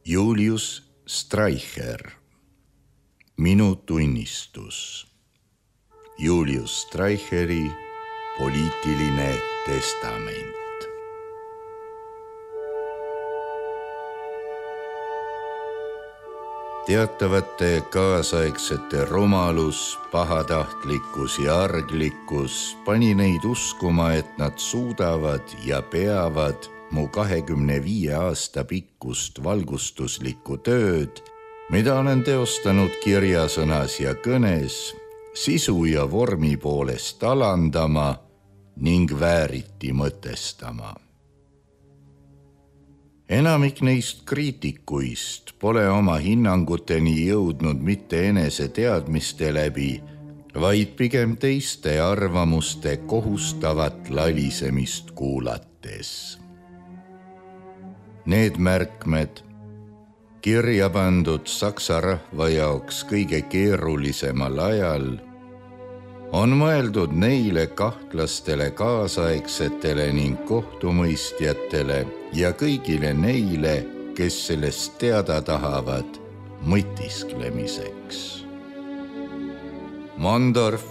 Julius Streicher, Minu tunnistus. Julius Streicheri poliitiline testament. Teatavate kaasaegsete rumalus, pahatahtlikkus ja arglikkus pani neid uskuma, et nad suudavad ja peavad mu 25 aasta pikkust valgustuslikku tööd, mida olen teostanud kirjasõnas ja kõnes, sisu ja vormi poolest alandama ning vääriti mõtestama. Enamik neist kriitikuist pole oma hinnanguteni jõudnud mitte enese teadmiste läbi, vaid pigem teiste arvamuste kohustavat lalisemist kuulates. Need märkmed, kirja pandud saksa rahva jaoks kõige keerulisemal ajal, on mõeldud neile kahtlastele kaasaegsetele ning kohtumõistjatele ja kõigile neile, kes sellest teada tahavad mõtisklemiseks. Mondorf,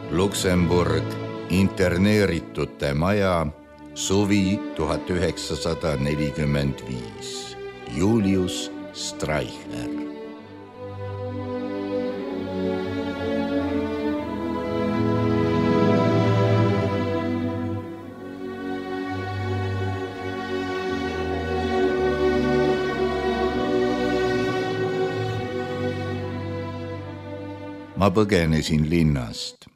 Luksemburg, interneeritute maja, suvi 1945. Julius Streicher. Ma põgenesin linnast.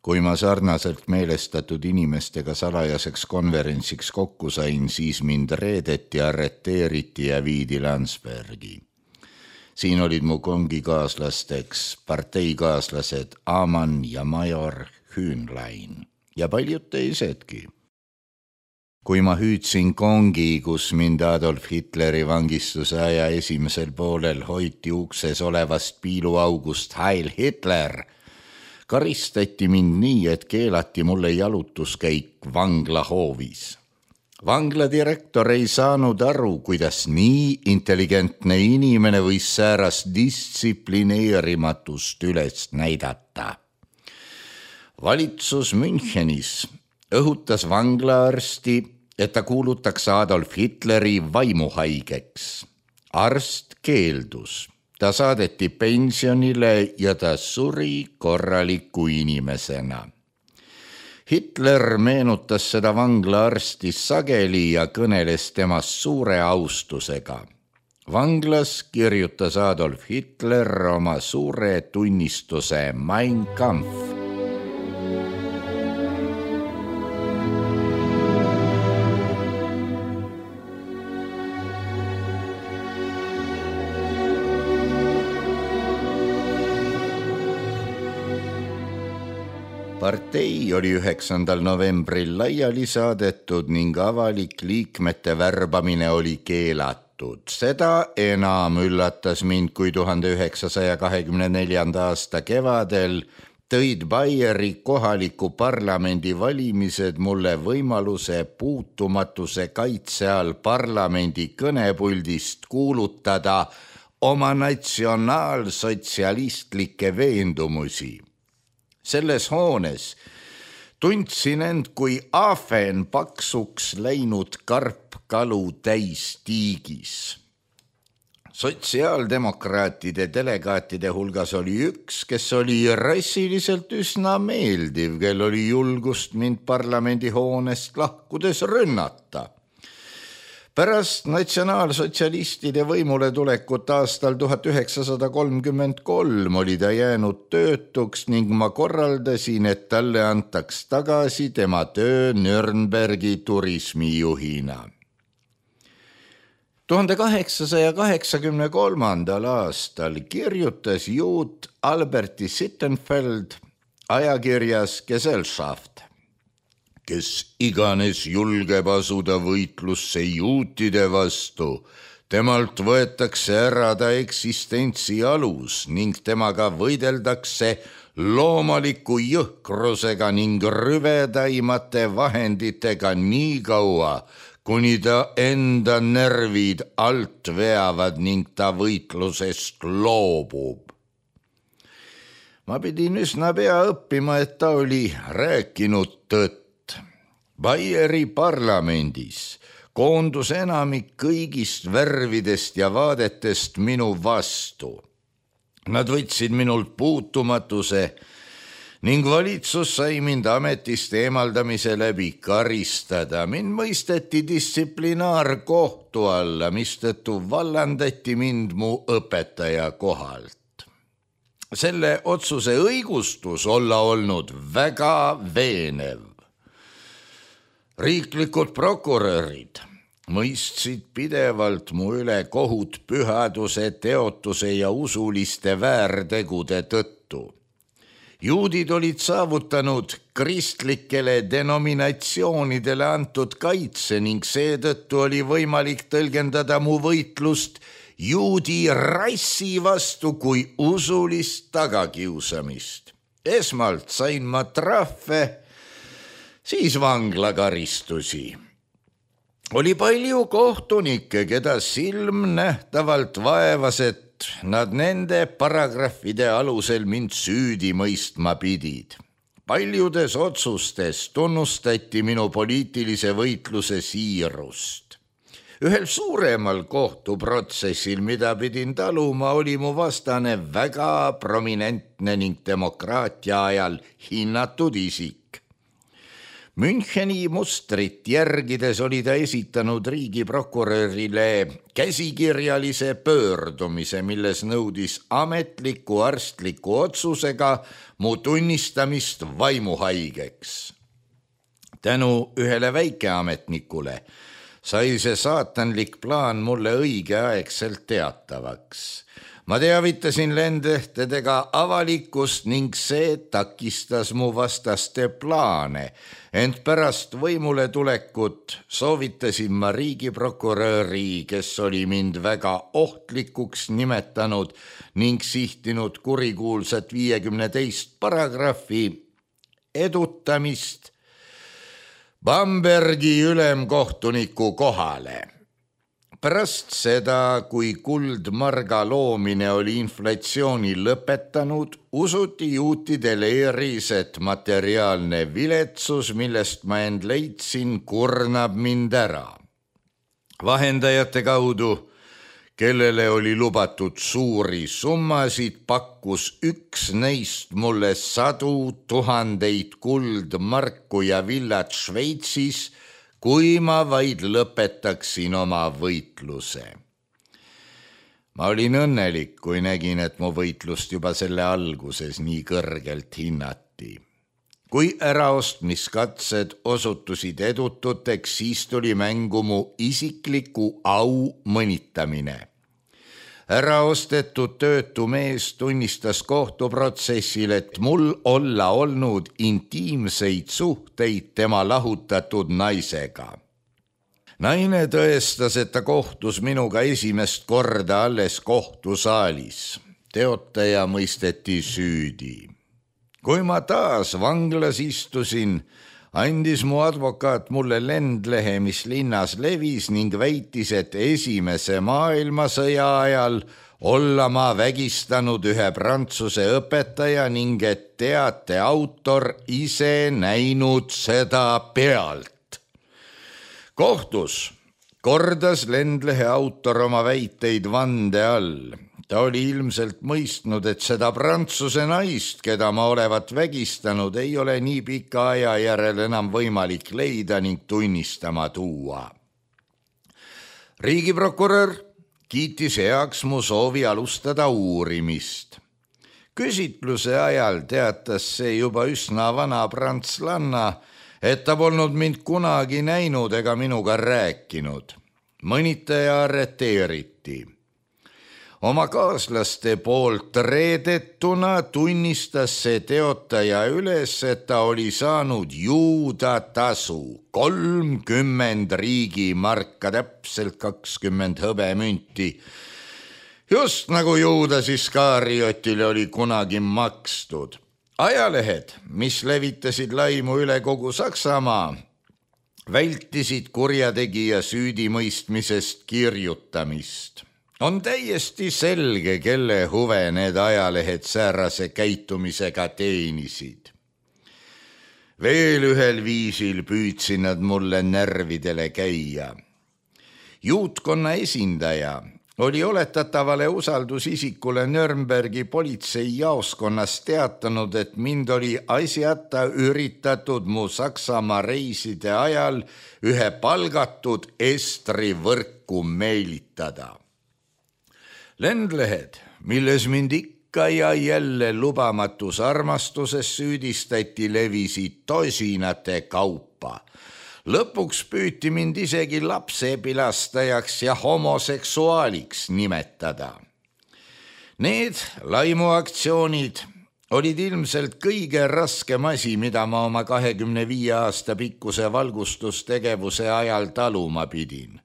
Kui ma sarnaselt meelestatud inimestega salajaseks konverentsiks kokku sain, siis mind reedeti, arreteeriti ja viidi Landsbergi. Siin olid mu kongikaaslasteks parteikaaslased Amann ja major Hühnlein ja paljud teisedki. Kui ma hüüdsin kongi, kus mind Adolf Hitleri vangistuse aja esimesel poolel hoiti ukses olevast piiluaugust Heil Hitler, karistati mind nii, et keelati mulle jalutuskäik vanglahoovis. Vangla direktor ei saanud aru, kuidas nii intelligentne inimene võis säärast distsiplineerimatust üles näidata. Valitsus Münchenis õhutas vanglaarsti, et ta kuulutaks Adolf Hitleri vaimuhaigeks. Arst keeldus. Ta saadeti pensionile ja ta suri korraliku inimesena. Hitler meenutas seda vanglaarsti sageli ja kõneles temast suure austusega. Vanglas kirjutas Adolf Hitler oma suure tunnistuse Mein Kampf. Partei oli 9. novembril laiali saadetud ning avalik liikmete värbamine oli keelatud. Seda enam üllatas mind, kui 1924. aasta kevadel tõid Baieri kohaliku parlamendi valimised mulle võimaluse puutumatuse kaitse all parlamendi kõnepuldist kuulutada oma natsionaalsotsialistlikke veendumusi. Selles hoones tundsin end kui ahven paksuks läinud karpkalu täis tiigis. Sotsiaaldemokraatide delegaatide hulgas oli üks, kes oli rassiliselt üsna meeldiv, kel oli julgust mind parlamendihoonest lahkudes rünnata. Pärast natsionaalsotsialistide võimule tulekut aastal 1933 oli ta jäänud töötuks ning ma korraldasin, et talle antaks tagasi tema töö Nürnbergi turismijuhina. 1883. aastal kirjutas juut Alberti Sittenfeld ajakirjas Gesellschaft, kes iganes julgeb asuda võitlusse juutide vastu, temalt võetakse ära ta eksistentsi alus ning temaga võideldakse loomaliku jõhkrusega ning rüvedaimate vahenditega nii kaua, kuni ta enda nervid alt veavad ning ta võitlusest loobub. Ma pidin üsna pea õppima, et ta oli rääkinud tõtt. Baieri parlamendis koondus enamik kõigist värvidest ja vaadetest minu vastu. Nad võtsid minult puutumatuse ning valitsus sai mind ametist eemaldamise läbi karistada. Mind mõisteti distsiplinaarkohtu alla, mistõttu vallandati mind mu õpetaja kohalt. Selle otsuse õigustus olla olnud väga veenev. Riiklikud prokurörid mõistsid pidevalt mu üle kohut pühaduse, teotuse ja usuliste väärtegude tõttu. Juudid olid saavutanud kristlikele denominatsioonidele antud kaitse ning seetõttu oli võimalik tõlgendada mu võitlust juudi rassi vastu kui usulist tagakiusamist. Esmalt sain ma trahve, siis vanglakaristusi. Oli palju kohtunikke, keda silmnähtavalt vaevas, et nad nende paragrahvide alusel mind süüdi mõistma pidid. Paljudes otsustes tunnustati minu poliitilise võitluse siirust. Ühel suuremal kohtuprotsessil, mida pidin taluma, oli mu vastane väga prominentne ning demokraatia ajal hinnatud isik. Müncheni mustrit järgides oli ta esitanud riigiprokurörile käsikirjalise pöördumise, milles nõudis ametliku arstliku otsusega mu tunnistamist vaimuhaigeks. Tänu ühele väikeametnikule sai see saatanlik plaan mulle õigeaegselt teatavaks. Ma teavitasin lendehtedega avalikkust ning see takistas mu vastaste plaane, ent pärast võimule tulekut soovitasin ma riigiprokuröri, kes oli mind väga ohtlikuks nimetanud ning sihtinud kurikuulsat 52 paragrahvi edutamist Bambergi ülemkohtuniku kohale. Pärast seda, kui kuldmarga loomine oli inflatsiooni lõpetanud, usuti juutide leeris, et materiaalne viletsus, millest ma end leidsin, kurnab mind ära. Vahendajate kaudu, kellele oli lubatud suuri summasid, pakkus üks neist mulle 100 000 kuldmarku ja villad Šveitsis, kui ma vaid lõpetaksin oma võitluse. Ma olin õnnelik, kui nägin, et mu võitlust juba selle alguses nii kõrgelt hinnati. Kui äraostmiskatsed osutusid edututeks, siis tuli mängu mu isikliku au mõnitamine. Äraostetud töötu mees tunnistas kohtuprotsessil, et mul olla olnud intiimseid suhteid tema lahutatud naisega. Naine tõestas, et ta kohtus minuga esimest korda alles kohtusaalis. Teotaja mõisteti süüdi. Kui ma taas vanglas istusin, andis mu advokaat mulle lendlehe, mis linnas levis ning väitis, et Esimese maailmasõja ajal olla ma vägistanud ühe Prantsuse õpetaja ning et teate autor ise näinud seda pealt. Kohtus kordas lendlehe autor oma väiteid vande all. Ta oli ilmselt mõistnud, et seda Prantsuse naist, keda ma olevat vägistanud, ei ole nii pika aja järel enam võimalik leida ning tunnistama tuua. Riigiprokurör kiitis heaks mu soovi alustada uurimist. Küsitluse ajal teatas see juba üsna vana prantslanna, et ta polnud mind kunagi näinud ega minuga rääkinud. Mõnitaja arreteeriti. Oma kaaslaste poolt reedetuna tunnistas see teotaja üles, et ta oli saanud juudatasu 30 riigimarka, täpselt 20 hõbemünti. Just nagu Juudas Iskariotile oli kunagi makstud. Ajalehed, mis levitasid laimu üle kogu Saksamaa, vältisid kurjategija süüdimõistmisest kirjutamist. On täiesti selge, kelle huve need ajalehed säärase käitumisega teenisid. Veel ühel viisil püüdsid nad mulle närvidele käia. Juutkonna esindaja oli oletatavale usaldusisikule Nürnbergi politseijaoskonnas teatanud, et mind oli asjata üritatud mu Saksamaa reiside ajal ühe palgatud estri võrku meelitada. Lendlehed, milles mind ikka ja jälle lubamatus armastuses süüdistati, levisid tosinate kaupa. Lõpuks püüti mind isegi lapsepilastajaks ja homoseksuaaliks nimetada. Need laimuaktsioonid olid ilmselt kõige raskem asi, mida ma oma 25 aasta pikkuse valgustustegevuse ajal taluma pidin.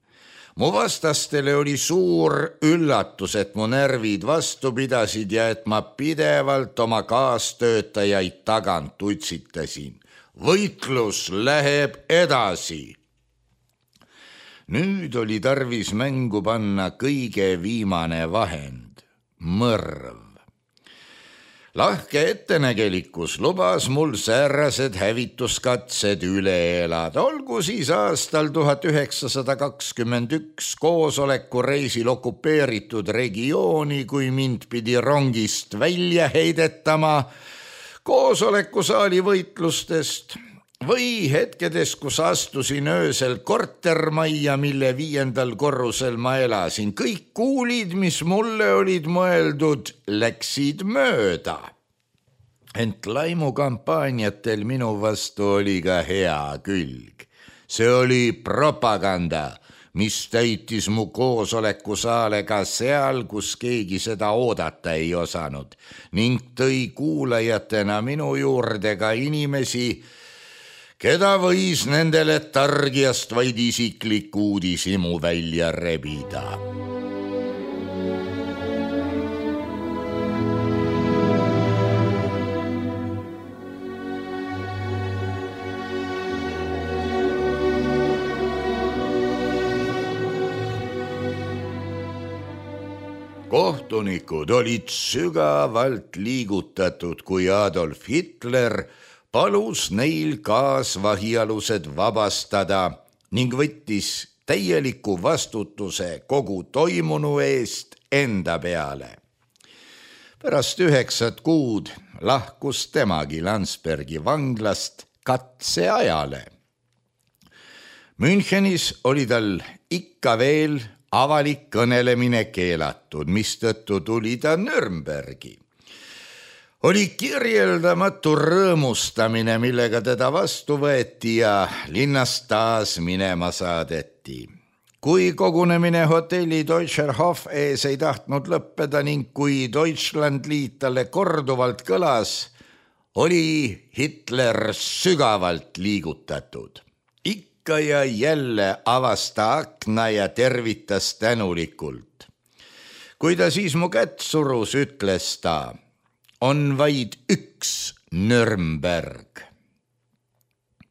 Mu vastastele oli suur üllatus, et mu närvid vastu pidasid ja et ma pidevalt oma kaastöötajaid tagant utsitasin. Võitlus läheb edasi. Nüüd oli tarvis mängu panna kõige viimane vahend, mõrv. Lahke ettenägelikkus lubas mul säärased hävituskatsed üle elada, olgu siis aastal 1921 koosolekureisil okupeeritud regiooni, kui mind pidi rongist välja heidetama, koosolekusaali võitlustest või hetkedes, kus astusin öösel kortermajja, mille 5. korrusel ma elasin. Kõik kuulid, mis mulle olid mõeldud, läksid mööda. Ent laimukampaaniatel minu vastu oli ka hea külg. See oli propaganda, mis täitis mu koosolekusaale ka seal, kus keegi seda oodata ei osanud, ning tõi kuulajatena minu juurde ka inimesi, keda võis nendele targiast vaid isiklik uudishimu välja rebida. Kohtunikud olid sügavalt liigutatud, kui Adolf Hitler palus neil kaasvahialused vabastada ning võttis täieliku vastutuse kogu toimunu eest enda peale. Pärast 9 kuud lahkus temagi Landsbergi vanglast katseajale. Münchenis oli tal ikka veel avalik kõnelemine keelatud, mistõttu tuli ta Nürnbergi. Oli kirjeldamatu rõõmustamine, millega teda vastu võeti ja linnast taas minema saadeti. Kui kogunemine hotelli Deutscher Hof ees ei tahtnud lõppeda ning kui Deutschlandliit talle korduvalt kõlas, oli Hitler sügavalt liigutatud. Ikka ja jälle avas ta akna ja tervitas tänulikult. Kui ta siis mu kätt surus, ütles ta: on vaid üks Nürnberg.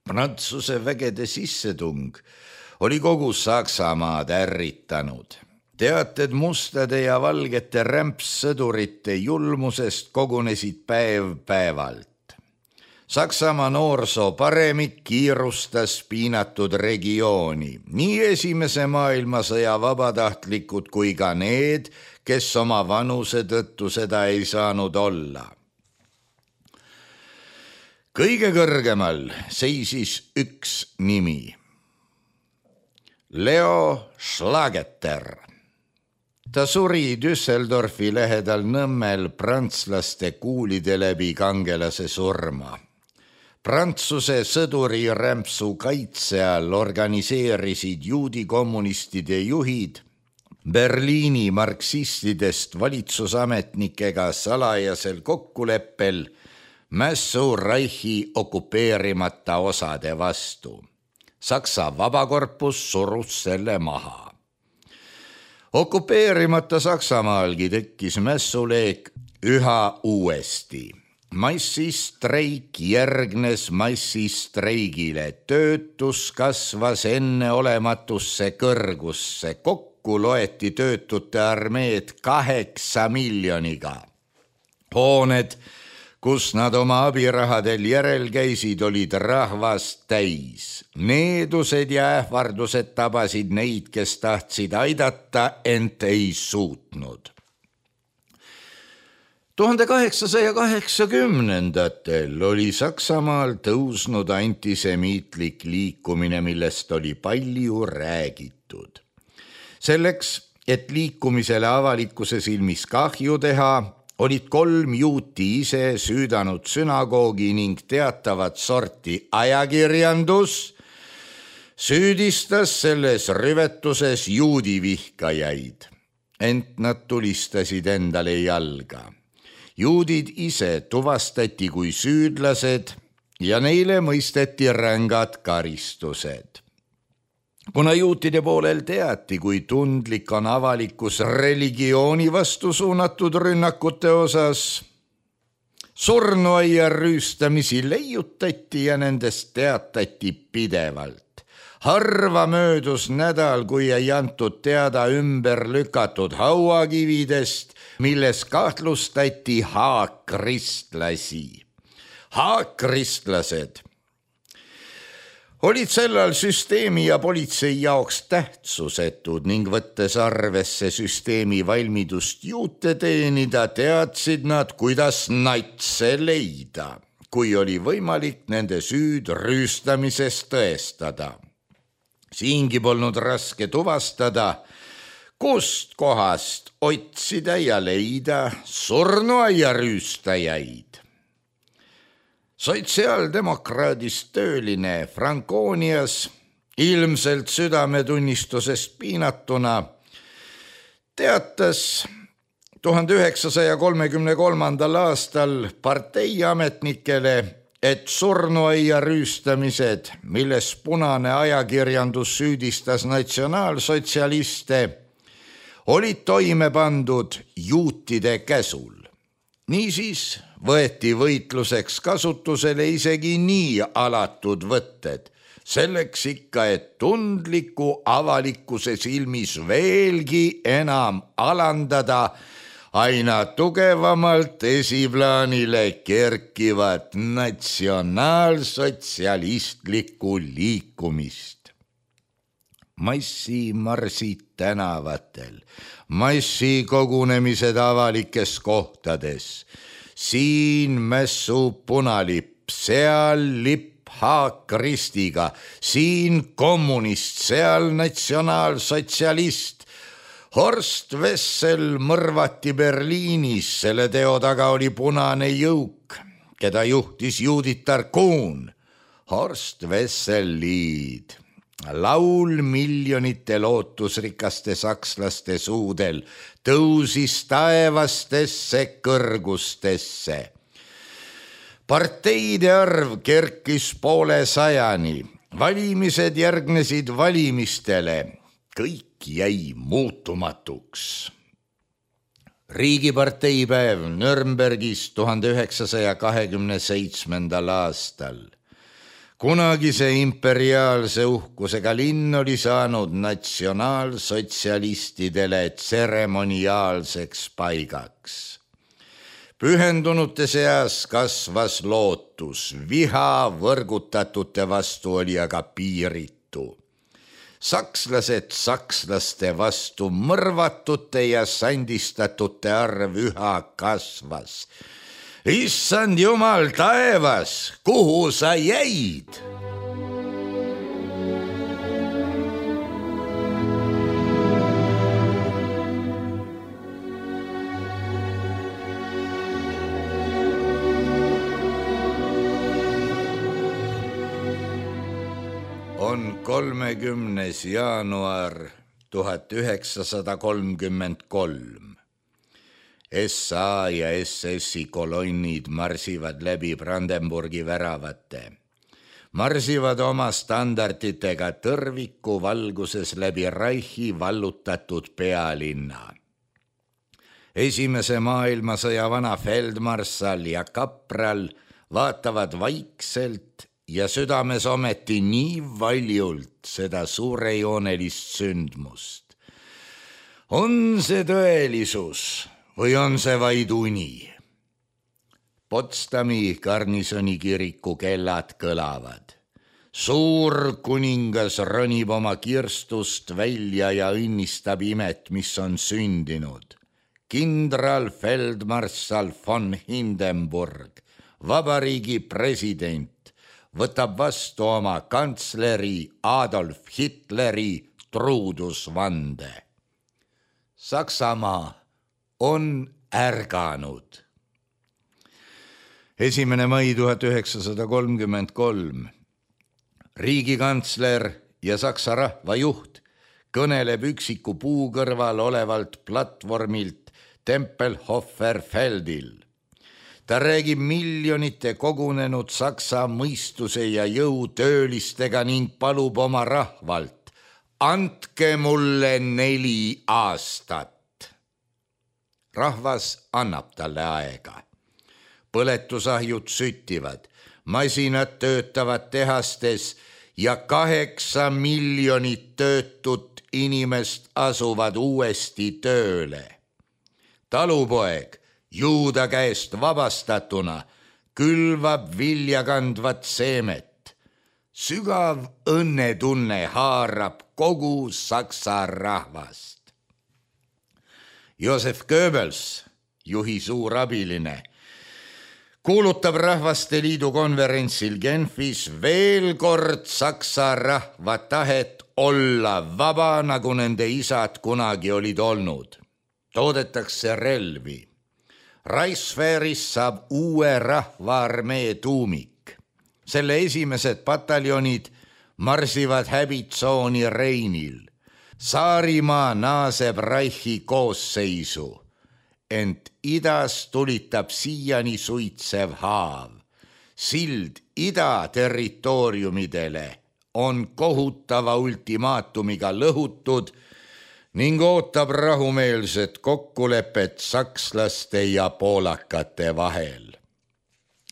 Prantsuse vägede sissetung oli kogu Saksamaad ärritanud. Teated mustade ja valgete rämpssõdurite julmusest kogunesid päev päevalt. Saksamaa noorsoo paremik kiirustas piinatud regiooni, nii Esimese maailmasõja vabatahtlikud kui ka need, kes oma vanuse tõttu seda ei saanud olla. Kõige kõrgemal seisis üks nimi: Leo Schlageter. Ta suri Düsseldorfi lähedal Nõmmel prantslaste kuulide läbi kangelase surma. Prantsuse sõduri rämpsu kaitse all organiseerisid juudi kommunistide juhid Berliini marksistidest valitsusametnikega salajasel kokkuleppel mässu Reichi okupeerimata osade vastu. Saksa vabakorpus surus selle maha. Okupeerimata Saksamaalgi tekkis mässuleek üha uuesti. Massistreik järgnes massistreigile, töötus kasvas enneolematusse kõrgusse, kokku loeti töötute armeed 8 miljoniga. Hooned, kus nad oma abirahadel järel käisid, olid rahvast täis. Needused ja ähvardused tabasid neid, kes tahtsid aidata, ent ei suutnud. 1880-ndatel oli Saksamaal tõusnud antisemiitlik liikumine, millest oli palju räägitud. Selleks, et liikumisele avalikkuse silmis kahju teha, olid 3 juuti ise süüdanud sünagoogi ning teatavat sorti ajakirjandus süüdistas selles rüvetuses juudivihkajaid, ent nad tulistasid endale jalga. Juudid ise tuvastati kui süüdlased ja neile mõisteti rängad karistused. Kuna juutide poolel teati, kui tundlik on avalikkus religiooni vastu suunatud rünnakute osas, surnuaia rüüstamisi leiutati ja nendest teatati pidevalt. Harva möödus nädal, kui ei antud teada ümber lükatud hauakividest, milles kahtlustati haakkristlasi. Haakkristlased olid sellal süsteemi ja politsei jaoks tähtsusetud ning võttes arvesse süsteemi valmidust juute teenida, teadsid nad, kuidas natse leida, kui oli võimalik nende süüd rüüstamises tõestada. Siingi polnud raske tuvastada, kust kohast otsida ja leida surnuaia rüüstajaid. Sotsiaaldemokraadist tööline Franconias, ilmselt südametunnistusest piinatuna, teatas 1933. aastal parteiametnikele, et surnuaia rüüstamised, milles punane ajakirjandus süüdistas natsionaalsotsialiste, olid toime pandud juutide käsul. Niisiis võeti võitluseks kasutusele isegi nii alatud võtted, selleks ikka, et tundliku avalikkuse silmis veelgi enam alandada aina tugevamalt esiplaanile kerkivat natsionaalsotsialistlikku liikumist. Massimarsid tänavatel, massikogunemised avalikes kohtades, siin mässu punalipp, seal lipp haakkristiga, siin kommunist, seal natsionaalsotsialist. Horst Wessel mõrvati Berliinis, selle teo taga oli punane jõuk, keda juhtis Juditar Kuhn. Horst Wessel Lied, laul miljonite lootusrikaste sakslaste suudel, tõusis taevastesse kõrgustesse. Parteide arv kerkis 500-ni, valimised järgnesid valimistele, kõik jäi muutumatuks. Riigiparteipäev Nürnbergis 1927. aastal. Kunagise imperiaalse uhkusega linn oli saanud natsionaalsotsialistidele tseremoniaalseks paigaks. Pühendunute seas kasvas lootus, viha võrgutatute vastu oli aga piiritu. Sakslased sakslaste vastu, mõrvatute ja sandistatute arv üha kasvas. Issand Jumal taevas, kuhu sa jäid? On 30. jaanuar 1933. SA ja SS-i kolonnid marsivad läbi Brandenburgi väravate. Marsivad oma standarditega tõrviku valguses läbi Reichi vallutatud pealinna. Esimese maailmasõja vana feldmarssal ja kapral vaatavad vaikselt ja südames ometi nii valjult seda suurejoonelist sündmust. On see tõelisus või on see vaid uni? Potsdami garnisoni kiriku kellad kõlavad. Suur kuningas ronib oma kirstust välja ja õnnistab imet, mis on sündinud. Kindral feldmarssal von Hindenburg, vabariigi president, võtab vastu oma kantsleri Adolf Hitleri truudusvande. Saksamaa on ärganud. 1. mai 1933. Riigikantsler ja Saksa rahvajuht kõneleb üksiku puu kõrval olevalt platvormilt Tempelhofer-Feldil. Ta räägib miljonite kogunenud Saksa mõistuse ja jõutöölistega ning palub oma rahvalt: andke mulle 4 aastat. Rahvas annab talle aega. Põletusahjud süttivad, masinad töötavad tehastes ja 8 miljonit töötut inimest asuvad uuesti tööle. Talupoeg, juuda käest vabastatuna, külvab viljakandvat seemet. Sügav õnnetunne haarab kogu Saksa rahvast. Josef Goebbels, juhi suur abiline, kuulutab Rahvaste Liidu konverentsil Genfis veel kord Saksa rahva tahet olla vaba, nagu nende isad kunagi olid olnud. Toodetakse relvi. Reichswehris saab uue rahvaarmee tuumik. Selle esimesed pataljonid marsivad häbitsooni Reinil. Saarimaa naaseb Reichi koosseisu. Ent idas tulitab siiani suitsev haav. Sild ida territooriumidele on kohutava ultimaatumiga lõhutud ning ootab rahumeelset kokkulepet sakslaste ja poolakate vahel.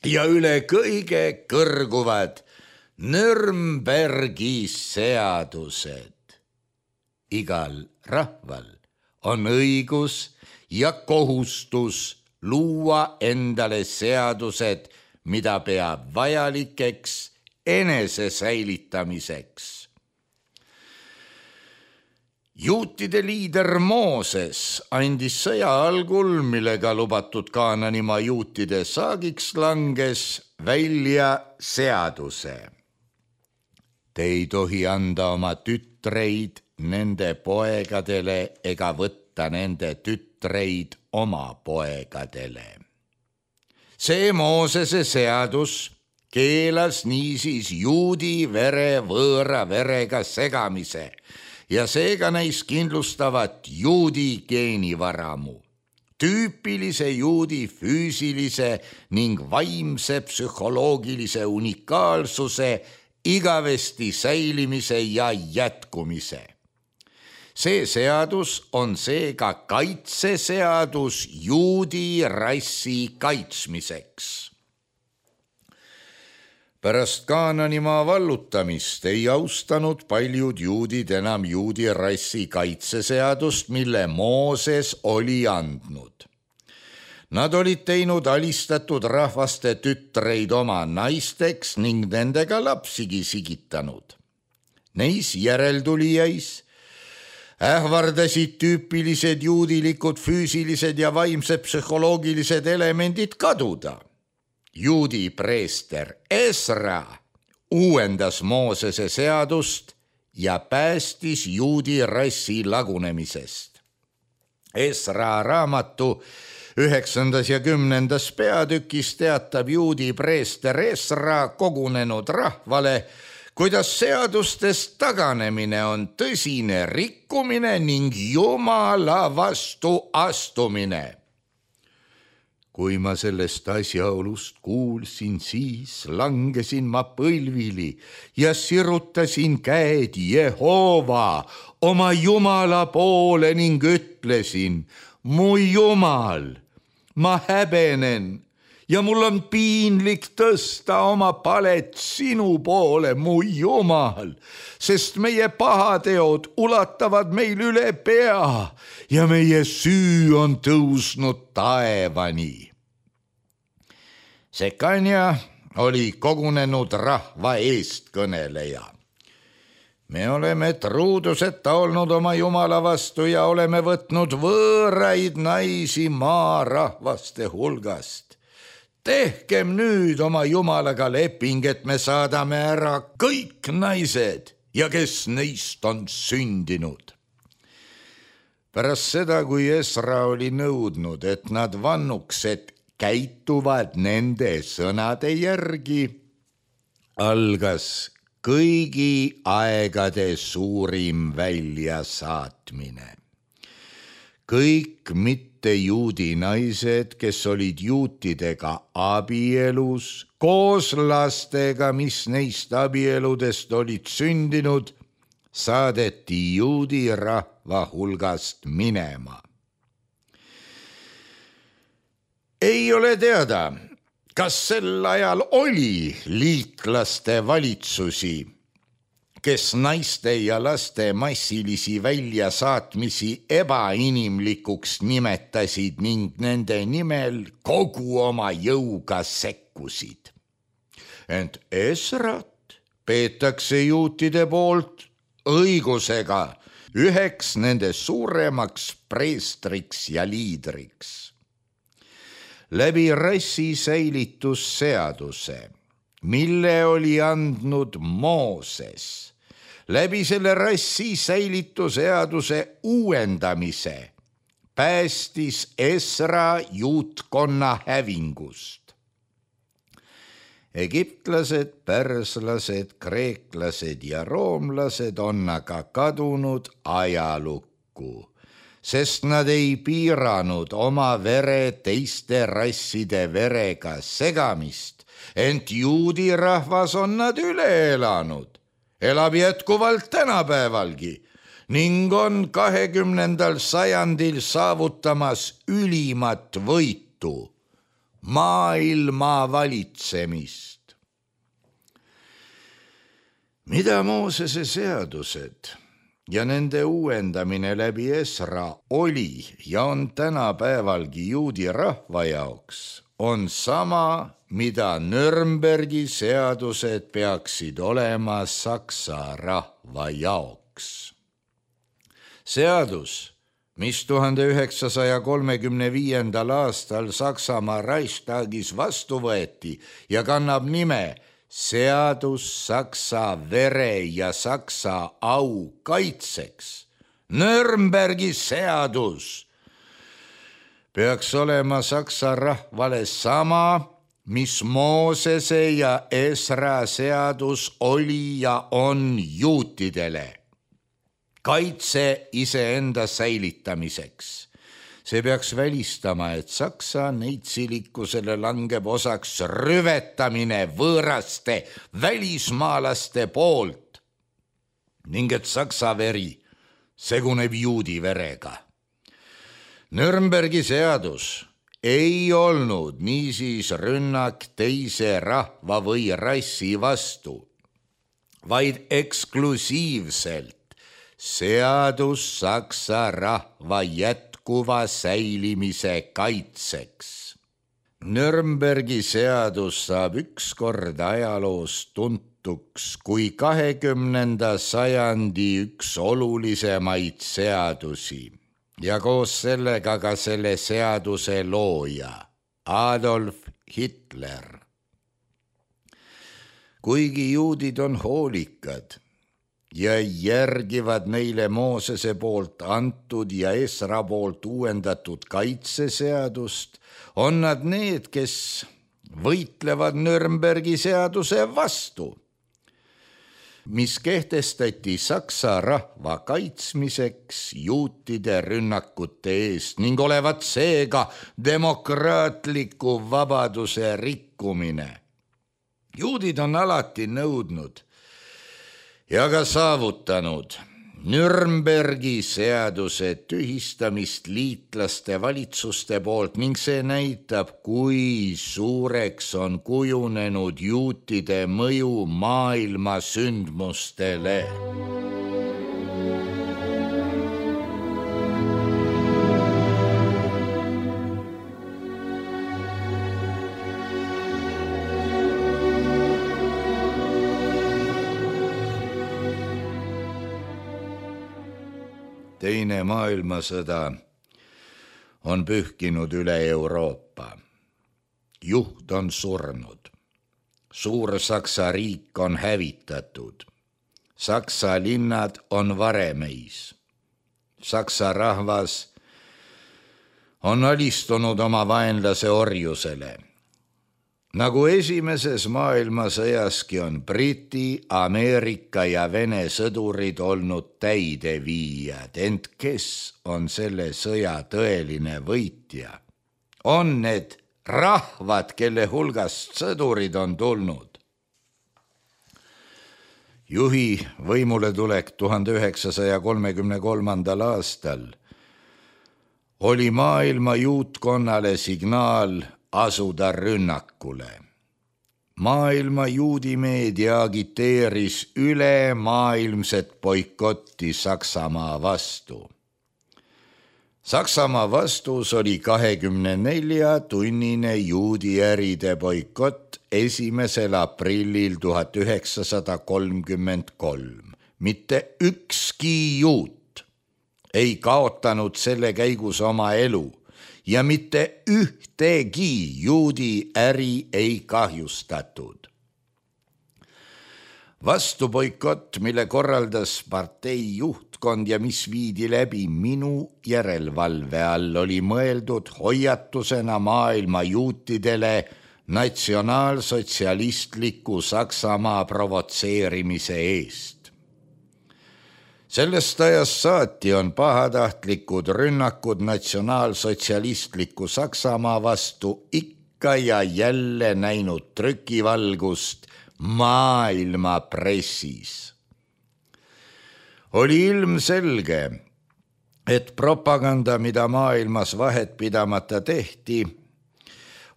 Ja üle kõige kõrguvad Nürnbergi seadused. Igal rahval on õigus ja kohustus luua endale seadused, mida peab vajalikeks enese säilitamiseks. Juutide liider Mooses andis sõja algul, millega lubatud Kaananimaa juutide saagiks langes, välja seaduse. Te ei tohi anda oma tütreid nende poegadele ega võtta nende tütreid oma poegadele. See Moosese seadus keelas niisiis juudi vere võõra verega segamise ja seega neis kindlustavat juudi geenivaramu, tüüpilise juudi füüsilise ning vaimse psühholoogilise unikaalsuse, igavesti säilimise ja jätkumise. See seadus on seega kaitseseadus juudi rassi kaitsmiseks. Pärast Kaananimaa vallutamist ei austanud paljud juudid enam juudi rassi kaitseseadust, mille Mooses oli andnud. Nad olid teinud alistatud rahvaste tütreid oma naisteks ning nendega lapsigi sigitanud. Neis järeltulijais ähvardasid tüüpilised juudilikud füüsilised ja vaimsed psühholoogilised elemendid kaduda. Juudi preester Esra uuendas Moosese seadust ja päästis juudi rassi lagunemisest. Esra raamatu 9. ja 10. peatükis teatab juudi preester Esra kogunenud rahvale, kuidas seadustest taganemine on tõsine rikkumine ning Jumala vastu astumine. Kui ma sellest asjaolust kuulsin, siis langesin ma põlvili ja sirutasin käed Jehova oma Jumala poole ning ütlesin: mu jumal, ma häbenen ja mul on piinlik tõsta oma palet sinu poole, mu jumal, sest meie pahateod ulatavad meil üle pea ja meie süü on tõusnud taevani. Sekanja oli kogunenud rahva eestkõneleja. Me oleme truuduseta olnud oma Jumala vastu ja oleme võtnud võõraid naisi maarahvaste hulgast. Tehkem nüüd oma Jumalaga leping, et me saadame ära kõik naised ja kes neist on sündinud. Pärast seda, kui Esra oli nõudnud, et nad vannuks, et käituvad nende sõnade järgi, algas kõigi aegade suurim väljasaatmine. Kõik mittejuudi naised, kes olid juutidega abielus, koos lastega, mis neist abieludest olid sündinud, saadeti juudi rahva hulgast minema. Ei ole teada, kas sel ajal oli liitlaste valitsusi, kes naiste ja laste massilisi väljasaatmisi ebainimlikuks nimetasid ning nende nimel kogu oma jõuga sekkusid. Ent Esrat peetakse juutide poolt õigusega üheks nende suuremaks preestriks ja liidriks. Läbi rassi säilitusseaduse, mille oli andnud Mooses, läbi selle rassi säilitusseaduse uuendamise päästis Esra juutkonna hävingust. Egiptlased, pärslased, kreeklased ja roomlased on aga kadunud ajalukku, sest nad ei piiranud oma vere teiste rasside verega segamist, ent juudi rahvas on nad üle elanud, elab jätkuvalt tänapäevalgi ning on 20. sajandil saavutamas ülimat võitu, maailma valitsemist. Mida Moosese seadused ja nende uuendamine läbi Esra oli ja on tänapäevalgi juudi rahva jaoks, on sama, mida Nürnbergi seadused peaksid olema saksa rahva jaoks. Seadus, mis 1935. aastal Saksamaa Reichstagis vastu võeti ja kannab nime seadus saksa vere ja saksa au kaitseks, Nürnbergi seadus, peaks olema saksa rahvale sama, mis Moosese ja Esra seadus oli ja on juutidele. Kaitse iseenda säilitamiseks. See peaks välistama, et saksa neitsilikkusele langeb osaks rüvetamine võõraste välismaalaste poolt ning et saksa veri seguneb juudi verega. Nürnbergi seadus ei olnud niisiis rünnak teise rahva või rassi vastu, vaid eksklusiivselt seadus saksa rahva jätkuva säilimise kaitseks. Nürnbergi seadus saab ükskord ajaloos tuntuks kui 20. sajandi üks olulisemaid seadusi ja koos sellega ka selle seaduse looja Adolf Hitler. Kuigi juudid on hoolikad ja järgivad neile Moosese poolt antud ja Esra poolt uuendatud kaitseseadust, on nad need, kes võitlevad Nürnbergi seaduse vastu, mis kehtestati saksa rahva kaitsmiseks juutide rünnakute eest ning olevat seega demokraatliku vabaduse rikkumine. Juudid on alati nõudnud ja ka saavutanud, Nürnbergi seaduse tühistamist liitlaste valitsuste poolt ning see näitab, kui suureks on kujunenud juutide mõju maailma sündmustele. Teine maailmasõda on pühkinud üle Euroopa. Juht on surnud. Suur-Saksa riik on hävitatud. Saksa linnad on varemeis. Saksa rahvas on alistunud oma vaenlase orjusele. Nagu esimeses maailmasõjaski on Briti, Ameerika ja Vene sõdurid olnud täideviijad, ent kes on selle sõja tõeline võitja? On need rahvad, kelle hulgast sõdurid on tulnud. Juhi võimuletulek 1933. aastal oli maailma juutkonnale signaal asuda rünnakule. Maailma juudimeedia agiteeris ülemaailmset boikotti Saksamaa vastu. Saksamaa vastus oli 24-tunnine juudiäride boikott 1. aprillil 1933. Mitte ükski juut ei kaotanud selle käigus oma elu ja mitte ühtegi juudi äri ei kahjustatud. Vastu boikott, mille korraldas partei juhtkond ja mis viidi läbi minu järelevalve all, oli mõeldud hoiatusena maailma juutidele natsionaalsotsialistliku Saksamaa provotseerimise eest. Sellest ajast saati on pahatahtlikud rünnakud natsionaalsotsialistliku Saksamaa vastu ikka ja jälle näinud trükivalgust maailma pressis. Oli ilmselge, et propaganda, mida maailmas vahet pidamata tehti,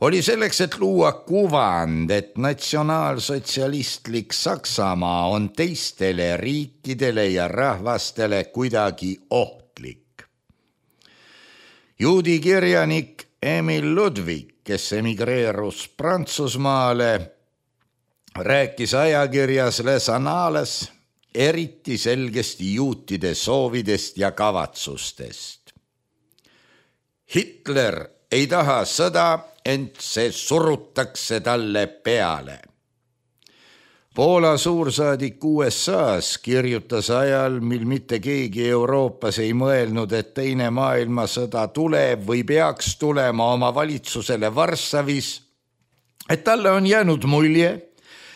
oli selleks, et luua kuvand, et natsionaalsotsialistlik Saksamaa on teistele riikidele ja rahvastele kuidagi ohtlik. Juudi kirjanik Emil Ludwig, kes emigreerus Prantsusmaale, rääkis ajakirjas Les Annales eriti selgesti juutide soovidest ja kavatsustest. Hitler ei taha sõda, ent see surutakse talle peale. Poola suursaadik USA-s kirjutas ajal, mil mitte keegi Euroopas ei mõelnud, et teine maailmasõda tuleb või peaks tulema oma valitsusele Varssavis, et talle on jäänud mulje,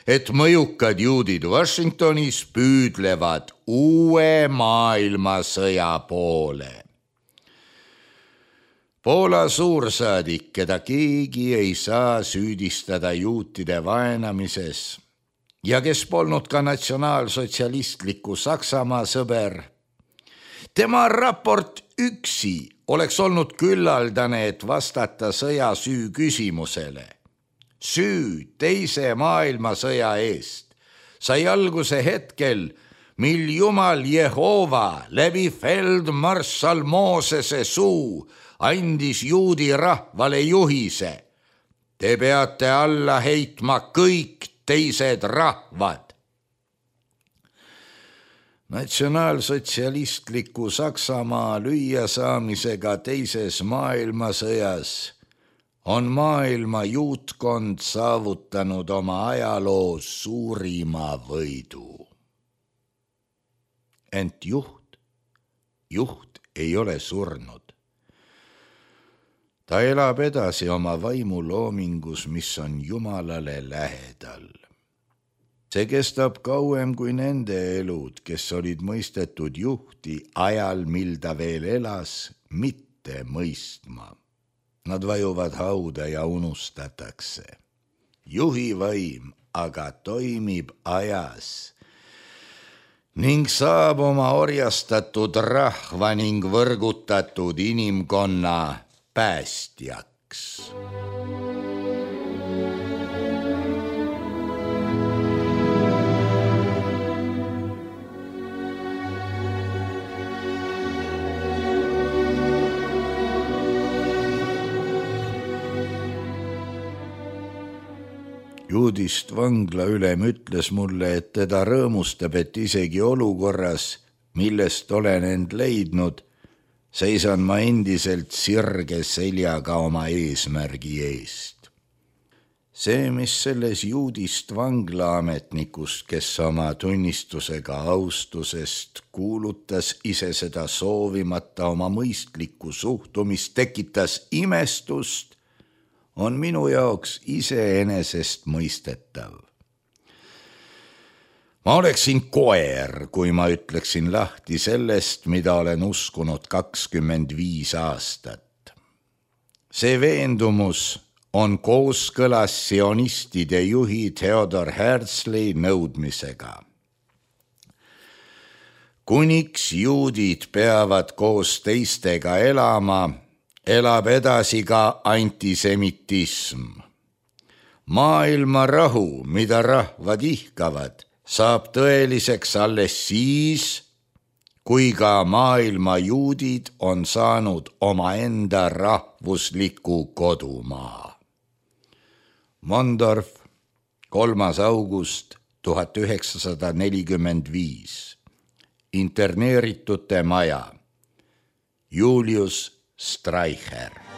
et mõjukad juudid Washingtonis püüdlevad uue maailmasõja poole. Poola suursaadik, keda keegi ei saa süüdistada juutide vaenamises ja kes polnud ka natsionaalsotsialistliku Saksamaa sõber, tema raport üksi oleks olnud küllaldane, et vastata sõja süü küsimusele. Süü teise maailmasõja eest sai alguse hetkel, mil Jumal Jehova läbi feldmarssal Moosese suu andis juudi rahvale juhise. Te peate alla heitma kõik teised rahvad. Natsionaalsotsialistliku Saksamaa lüüasaamisega teises maailmasõjas on maailma juutkond saavutanud oma ajaloo suurima võidu. Ent juht ei ole surnud. Ta elab edasi oma vaimuloomingus, mis on Jumalale lähedal. See kestab kauem kui nende elud, kes olid mõistetud juhti ajal, mil ta veel elas, mitte mõistma. Nad vajuvad hauda ja unustatakse. Juhi vaim aga toimib ajas ning saab oma orjastatud rahva ning võrgutatud inimkonna päästjaks. Juudist vangla ülem ütles mulle, et teda rõõmustab, et isegi olukorras, millest olen end leidnud, seisan ma endiselt sirge seljaga oma eesmärgi eest. See, mis selles juudist vanglaametnikust, kes oma tunnistusega austusest kuulutas ise seda soovimata oma mõistlikku suhtumist, tekitas imestust, on minu jaoks iseenesest mõistetav. Ma oleksin koer, kui ma ütleksin lahti sellest, mida olen uskunud 25 aastat. See veendumus on kooskõlas sionistide juhi Theodor Herzli nõudmisega. Kuniks juudid peavad koos teistega elama, elab edasi ka antisemitism. Maailma rahu, mida rahvad ihkavad, saab tõeliseks alles siis, kui ka maailma juudid on saanud omaenda rahvusliku kodumaa. Mondorf, 3. august 1945. Interneeritute maja. Julius Streicher.